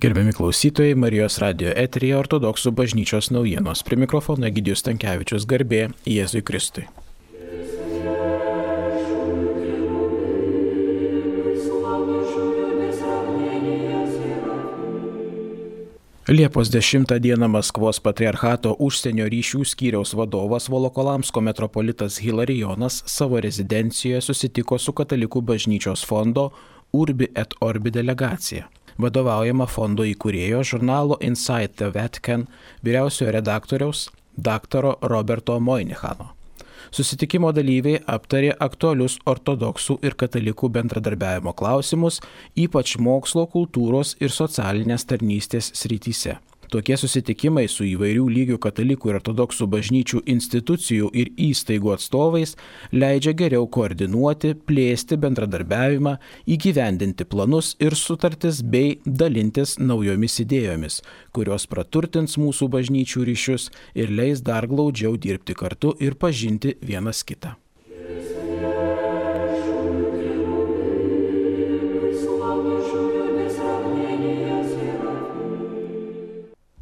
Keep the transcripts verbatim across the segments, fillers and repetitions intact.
Gerbiami klausytojai, Marijos radijo eteryje Ortodoksų bažnyčios naujienos. Prie mikrofono Egidijus Stankevičius, garbė Jėzui Kristui. Liepos dešimtą dieną Maskvos patriarchato užsienio ryšių skyriaus vadovas Volokolamsko metropolitas Hilarijonas savo rezidencijoje susitiko su Katalikų bažnyčios fondo Urbi et Orbi delegacija. Vadovaujama fondo įkūrėjo žurnalo Inside the Vatican vyriausiojo redaktoriaus daktaro Roberto Moynichano. Susitikimo dalyviai aptarė aktualius ortodoksų ir katalikų bendradarbiavimo klausimus, ypač mokslo, kultūros ir socialinės tarnystės srityse. Tokie susitikimai su įvairių lygių katalikų ir ortodoksų bažnyčių institucijų ir įstaigų atstovais leidžia geriau koordinuoti, plėsti bendradarbiavimą, įgyvendinti planus ir sutartis bei dalintis naujomis idėjomis, kurios praturtins mūsų bažnyčių ryšius ir leis dar glaudžiau dirbti kartu ir pažinti vienas kitą.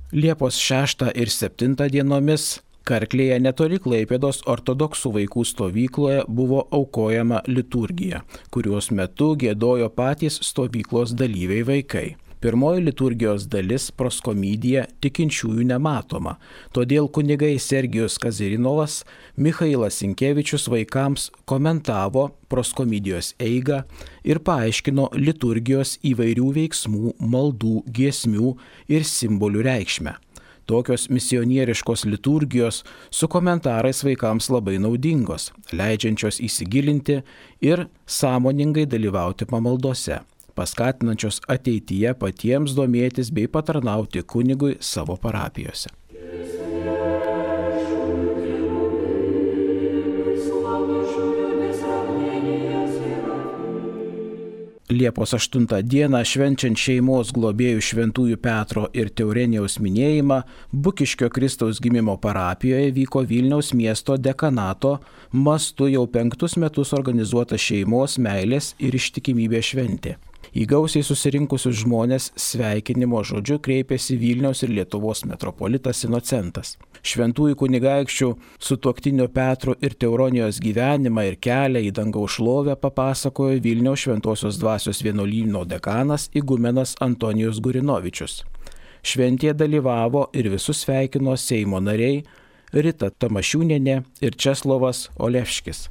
Liepos šeštą ir septintą dienomis Karklėje netoli Klaipėdos ortodoksų vaikų stovykloje buvo aukojama liturgija, kurios metu giedojo patys stovyklos dalyviai vaikai. Pirmoji liturgijos dalis proskomidija tikinčiųjų nematoma, todėl kunigai Sergijus Kazirinovas, Michailas Sinkevičius vaikams komentavo proskomidijos eigą ir paaiškino liturgijos įvairių veiksmų, maldų, giesmių ir simbolių reikšmę. Tokios misionieriškos liturgijos su komentarais vaikams labai naudingos, leidžiančios įsigilinti ir sąmoningai dalyvauti pamaldose, paskatinančios ateityje patiems domėtis bei patarnauti kunigui savo parapijose. Liepos aštuntą dieną švenčiant šeimos globėjų Šventųjų Petro ir Teurenijaus minėjimą, Bukiškio Kristaus gimimo parapijoje vyko Vilniaus miesto dekanato mastu jau penktus metus organizuota šeimos, meilės ir ištikimybės šventė. Į gausiai susirinkusius žmonės sveikinimo žodžiu kreipėsi Vilniaus ir Lietuvos metropolitas Inocentas. Šventųjų kunigaikščių sutuoktinio Petro ir Teuronijos gyvenimą ir kelią į dangaus šlovę papasakojo Vilniaus Šventosios dvasios vienuolyno dekanas igumenas Antonijus Gurinovičius. Šventėje dalyvavo ir visus sveikino Seimo nariai Rita Tamašiūnienė ir Česlovas Olevškis,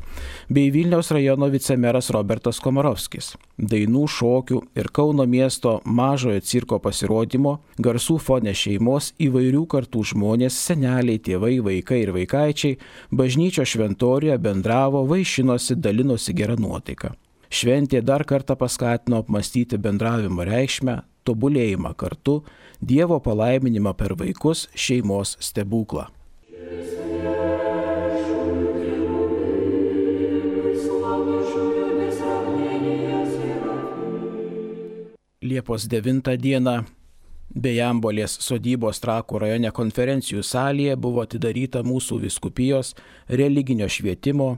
bei Vilniaus rajono vicemeras Robertas Komarovskis. Dainų, šokių ir Kauno miesto mažojo cirko pasirodymo, garsų fone šeimos, įvairių kartų žmonės, seneliai, tėvai, vaikai ir vaikaičiai bažnyčios šventoriuje bendravo, vaišinosi, dalinosi gerą nuotaiką. Šventė dar kartą paskatino apmastyti bendravimo reikšmę, tobulėjimą kartu, Dievo palaiminimą per vaikus, šeimos stebuklą. Liepos devintą dieną Bejambolės sodybos Trakų rajone konferencijų salėje buvo atidaryta mūsų vyskupijos religinio švietimo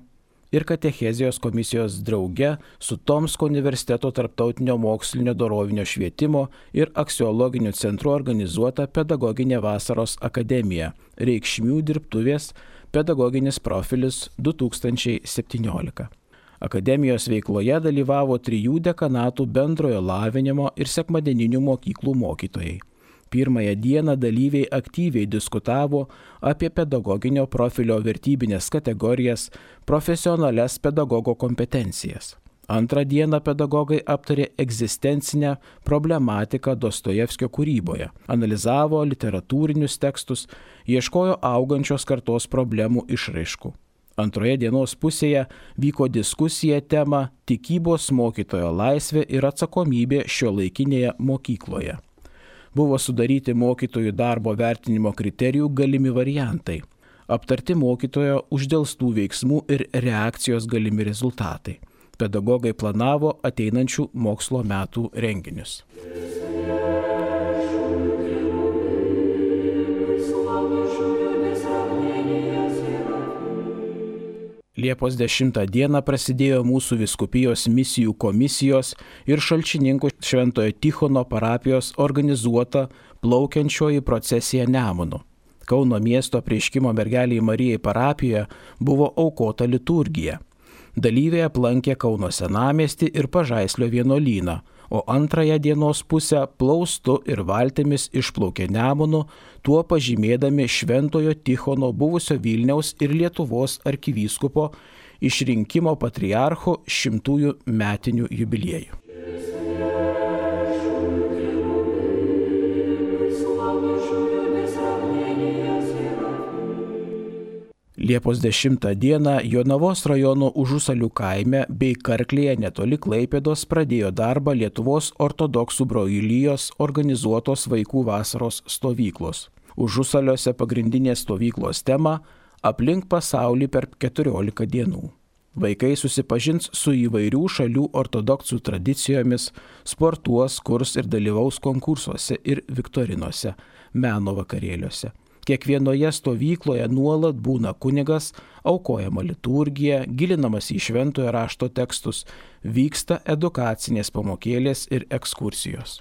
ir katechezijos komisijos drauge su Tomsko universiteto tarptautinio mokslinio dorovinio švietimo ir aksiologiniu centru organizuota pedagoginė vasaros akademija Reikšmių dirbtuvės pedagoginis profilis du tūkstančiai septyniolika. Akademijos veikloje dalyvavo trijų dekanatų bendrojo lavinimo ir sekmadieninių mokyklų mokytojai. Pirmąją dieną dalyviai aktyviai diskutavo apie pedagoginio profilio vertybinės kategorijas, profesionalias pedagogo kompetencijas. Antrą dieną pedagogai aptarė egzistencinę problematiką Dostojevskio kūryboje, analizavo literatūrinius tekstus, ieškojo augančios kartos problemų išraiškų. Antroje dienos pusėje vyko diskusija tema tikybos mokytojo laisvė ir atsakomybė šiuolaikinėje mokykloje. Buvo sudaryti mokytojų darbo vertinimo kriterijų galimi variantai, aptarti mokytojo uždelstų veiksmų ir reakcijos galimi rezultatai. Pedagogai planavo ateinančių mokslo metų renginius. Liepos dešimtą dieną prasidėjo mūsų vyskupijos misijų komisijos ir Šalčininkų Šventojo Tichono parapijos organizuota plaukiančioji procesija Nemunu. Kauno miesto Apreiškimo mergelei Marijai parapijoje buvo aukota liturgija. Dalyviai aplankė Kauno senamiestį ir Pažaislio vienuolyną, o antrąją dienos pusę plaustu ir valtimis išplaukė Nemunu, tuo pažymėdami Šventojo Tichono buvusio Vilniaus ir Lietuvos arkivyskupo išrinkimo patriarcho šimtųjų metinių jubiliejų. Liepos dešimtą dieną Jonavos rajono Užusalių kaime bei Karklėje netoli Klaipėdos pradėjo darbą Lietuvos ortodoksų brolijos organizuotos vaikų vasaros stovyklos. Užusaliuose pagrindinės stovyklos tema – aplink pasaulį per keturiolika dienų. Vaikai susipažins su įvairių šalių ortodoksų tradicijomis, sportuos, kurs ir dalyvaus konkursuose ir viktorinose, meno vakarėliuose. Kiekvienoje stovykloje nuolat būna kunigas, aukojama liturgija, gilinamas į šventojo rašto tekstus, vyksta edukacinės pamokėlės ir ekskursijos.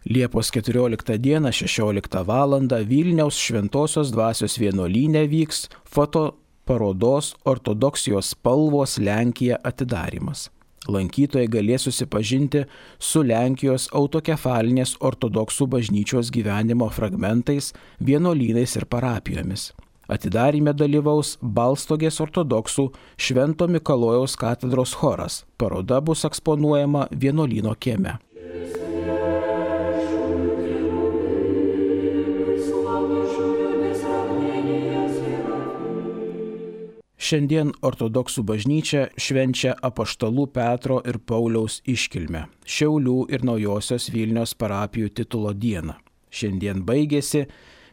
Liepos keturioliktą dieną šešioliktą valandą Vilniaus Šventosios dvasios vienuolyne vyks foto parodos Ortodoksijos spalvos Lenkija atidarymas. Lankytojai galės susipažinti su Lenkijos autokefalinės ortodoksų bažnyčios gyvenimo fragmentais, vienuolynais ir parapijomis. Atidaryme dalyvaus Balstogės ortodoksų Švento Mikalojaus katedros choras. Paroda bus eksponuojama vienuolyno kieme. Šiandien ortodoksų bažnyčia švenčia apaštalų Petro ir Pauliaus iškilmę, Šiaulių ir Naujosios Vilnios parapijų titulo dieną. Šiandien baigėsi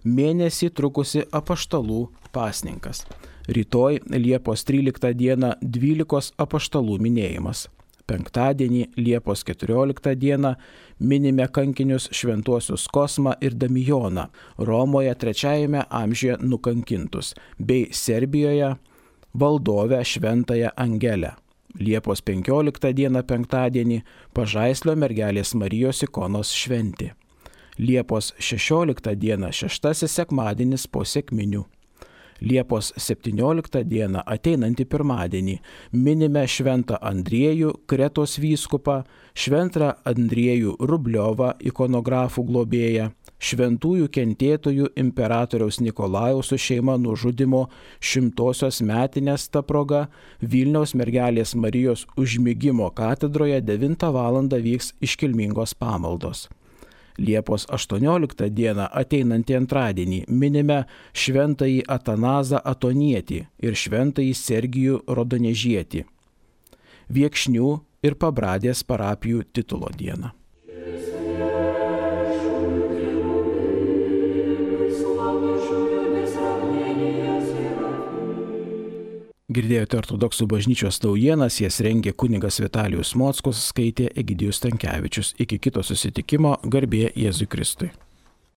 mėnesį trukusi apaštalų pasninkas. Rytoj Liepos tryliktą dieną dvylikos apaštalų minėjimas. Penktadienį Liepos keturioliktą dieną minime kankinius šventuosius Kosmą ir Damijoną, Romoje trečiajame amžiuje nukankintus, bei Serbijoje valdovę Šventąją Angelę. Liepos penkioliktą dieną penktadienį Pažaislio mergelės Marijos ikonos šventė. Liepos šešioliktą dieną šeštasis sekmadienis po sekminių. Liepos septynioliktą dieną ateinantį pirmadienį minime Šventą Andriejų, Kretos vyskupą, Šventą Andriejų Rubliovą, ikonografų globėją, šventųjų kentėtojų imperatoriaus Nikolajaus su šeima nužudimo šimtosios metinės ta proga Vilniaus mergelės Marijos užmigimo katedroje devintą valandą vyks iškilmingos pamaldos. Liepos aštuonioliktą dieną ateinantį antradienį minime Šventąjį Atanazą Atonietį ir Šventąjį Sergijų Rodonežietį, Viekšnių ir Pabradės parapijų titulo dieną. Girdėjote ortodoksų bažnyčios naujienas, jas rengė kunigas Vitalijus Mockus, skaitė Egidijus Stankevičius. Iki kito susitikimo, garbė Jėzui Kristui.